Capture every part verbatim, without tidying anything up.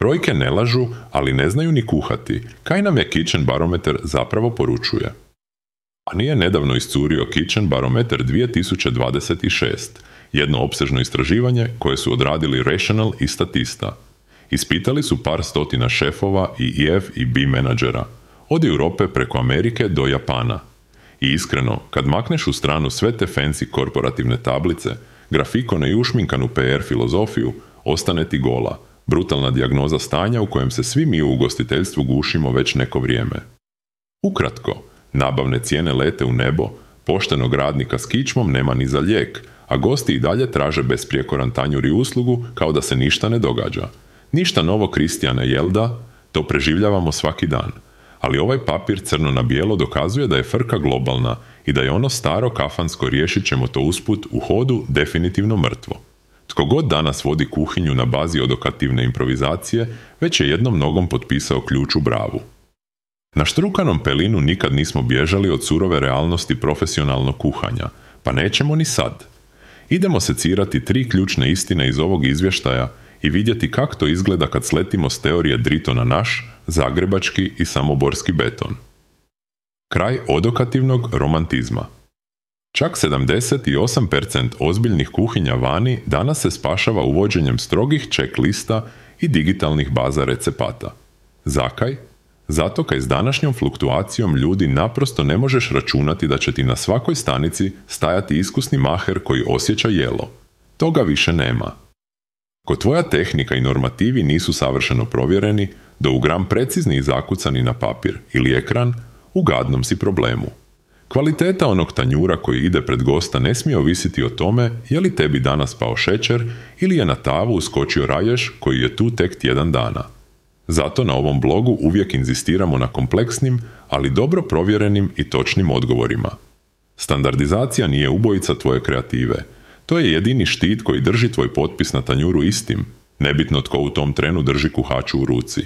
Brojke ne lažu, ali ne znaju ni kuhati. Kaj nam je Kitchen Barometer zapravo poručuje? A nije nedavno iscurio Kitchen Barometer dvije tisuće dvadeset šeste, jedno opsežno istraživanje koje su odradili Rational i Statista. Ispitali su par stotina šefova i E F i B menadžera, od Europe preko Amerike do Japana. I iskreno, kad makneš u stranu sve te fancy korporativne tablice, grafikone i ušminkanu P R filozofiju, ostane ti gola, brutalna dijagnoza stanja u kojem se svi mi u ugostiteljstvu gušimo već neko vrijeme. Ukratko, nabavne cijene lete u nebo, poštenog radnika s kičmom nema ni za lijek, a gosti i dalje traže besprijekoran tanjur i uslugu kao da se ništa ne događa. Ništa novo, Kristijane, jel da? To preživljavamo svaki dan. Ali ovaj papir crno na bijelo dokazuje da je frka globalna i da je ono staro kafansko riješit ćemo to usput u hodu definitivno mrtvo. Tko god danas vodi kuhinju na bazi odokativne improvizacije, već je jednom nogom potpisao ključ u bravu. Na štrukanom pelinu nikad nismo bježali od surove realnosti profesionalnog kuhanja, pa nećemo ni sad. Idemo secirati tri ključne istine iz ovog izvještaja i vidjeti kako to izgleda kad sletimo s teorije drito na naš, zagrebački i samoborski beton. Kraj odokativnog romantizma. Čak sedamdeset osam posto ozbiljnih kuhinja vani danas se spašava uvođenjem strogih checklista i digitalnih baza recepata. Zakaj? Zato kaj s današnjom fluktuacijom ljudi naprosto ne možeš računati da će ti na svakoj stanici stajati iskusni maher koji osjeća jelo. Toga više nema. Ko tvoja tehnika i normativi nisu savršeno provjereni, do u gram precizni i zakucani na papir ili ekran, u gadnom si problemu. Kvaliteta onog tanjura koji ide pred gosta ne smije ovisiti o tome je li tebi danas pao šećer ili je na tavu uskočio raješ koji je tu tek tjedan dana. Zato na ovom blogu uvijek inzistiramo na kompleksnim, ali dobro provjerenim i točnim odgovorima. Standardizacija nije ubojica tvoje kreative. To je jedini štit koji drži tvoj potpis na tanjuru istim, nebitno tko u tom trenu drži kuhaču u ruci.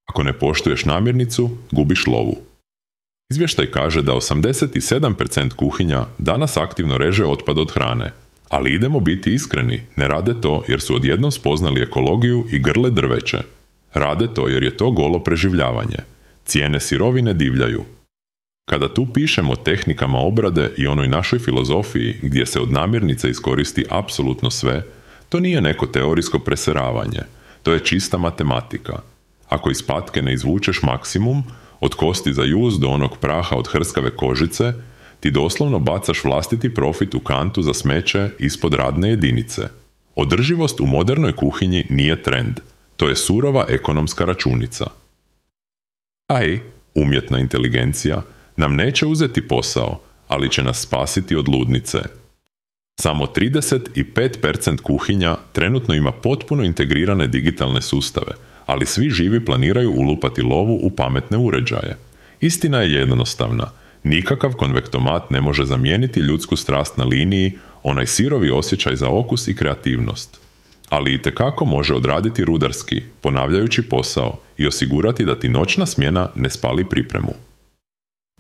Ako ne poštuješ namirnicu, gubiš lovu. Izvještaj kaže da osamdeset sedam posto kuhinja danas aktivno reže otpad od hrane, ali idemo biti iskreni, ne rade to jer su odjednom spoznali ekologiju i grle drveće. Rade to jer je to golo preživljavanje. Cijene sirovine divljaju. Kada tu pišemo o tehnikama obrade i onoj našoj filozofiji gdje se od namirnice iskoristi apsolutno sve, to nije neko teorijsko preseravanje, to je čista matematika. Ako iz patke ne izvučeš maksimum, od kosti za juz do onog praha od hrskave kožice, ti doslovno bacaš vlastiti profit u kantu za smeće ispod radne jedinice. Održivost u modernoj kuhinji nije trend, to je surova ekonomska računica. A i umjetna inteligencija nam neće uzeti posao, ali će nas spasiti od ludnice. Samo trideset pet posto kuhinja trenutno ima potpuno integrirane digitalne sustave, ali svi živi planiraju ulupati lovu u pametne uređaje. Istina je jednostavna. Nikakav konvektomat ne može zamijeniti ljudsku strast na liniji, onaj sirovi osjećaj za okus i kreativnost. Ali itekako može odraditi rudarski, ponavljajući posao i osigurati da ti noćna smjena ne spali pripremu.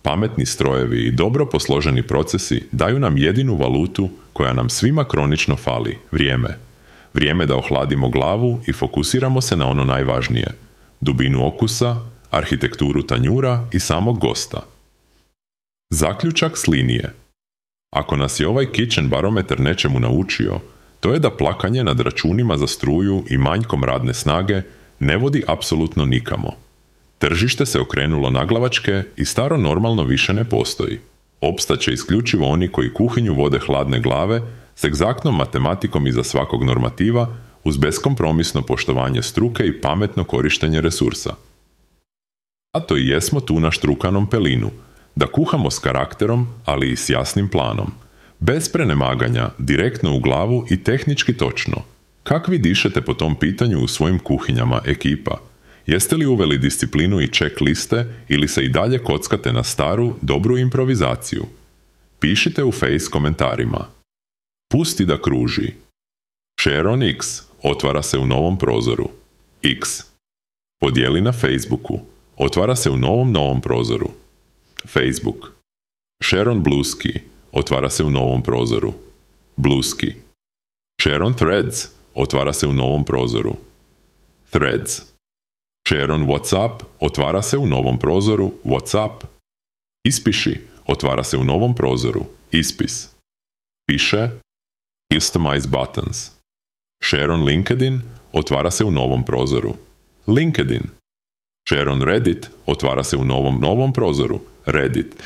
Pametni strojevi i dobro posloženi procesi daju nam jedinu valutu koja nam svima kronično fali, vrijeme. Vrijeme da ohladimo glavu i fokusiramo se na ono najvažnije, dubinu okusa, arhitekturu tanjura i samog gosta. Zaključak s linije. Ako nas je ovaj Kitchen Barometer nečemu naučio, to je da plakanje nad računima za struju i manjkom radne snage ne vodi apsolutno nikamo. Tržište se okrenulo naglavačke i staro normalno više ne postoji. Opstaće isključivo oni koji kuhinju vode hladne glave s egzaktnom matematikom iza svakog normativa uz beskompromisno poštovanje struke i pametno korištenje resursa. A to i jesmo tu na štrukanom pelinu, da kuhamo s karakterom, ali i s jasnim planom. Bez prenemaganja, direktno u glavu i tehnički točno. Kak vi dišete po tom pitanju u svojim kuhinjama, ekipa? Jeste li uveli disciplinu i checkliste ili se i dalje kockate na staru, dobru improvizaciju? Pišite u Face komentarima. Pusti da kruži. Share on X otvara se u novom prozoru. X. Podijeli na Facebooku. Otvara se u novom novom prozoru. Facebook. Share on Blueski. Otvara se u novom prozoru. Blueski. Share on Threads. Otvara se u novom prozoru. Threads. Share on WhatsApp otvara se u novom prozoru WhatsApp. Ispiši otvara se u novom prozoru Ispis. Piše Customize buttons. Share on LinkedIn otvara se u novom prozoru LinkedIn. Share on Reddit otvara se u novom novom prozoru Reddit.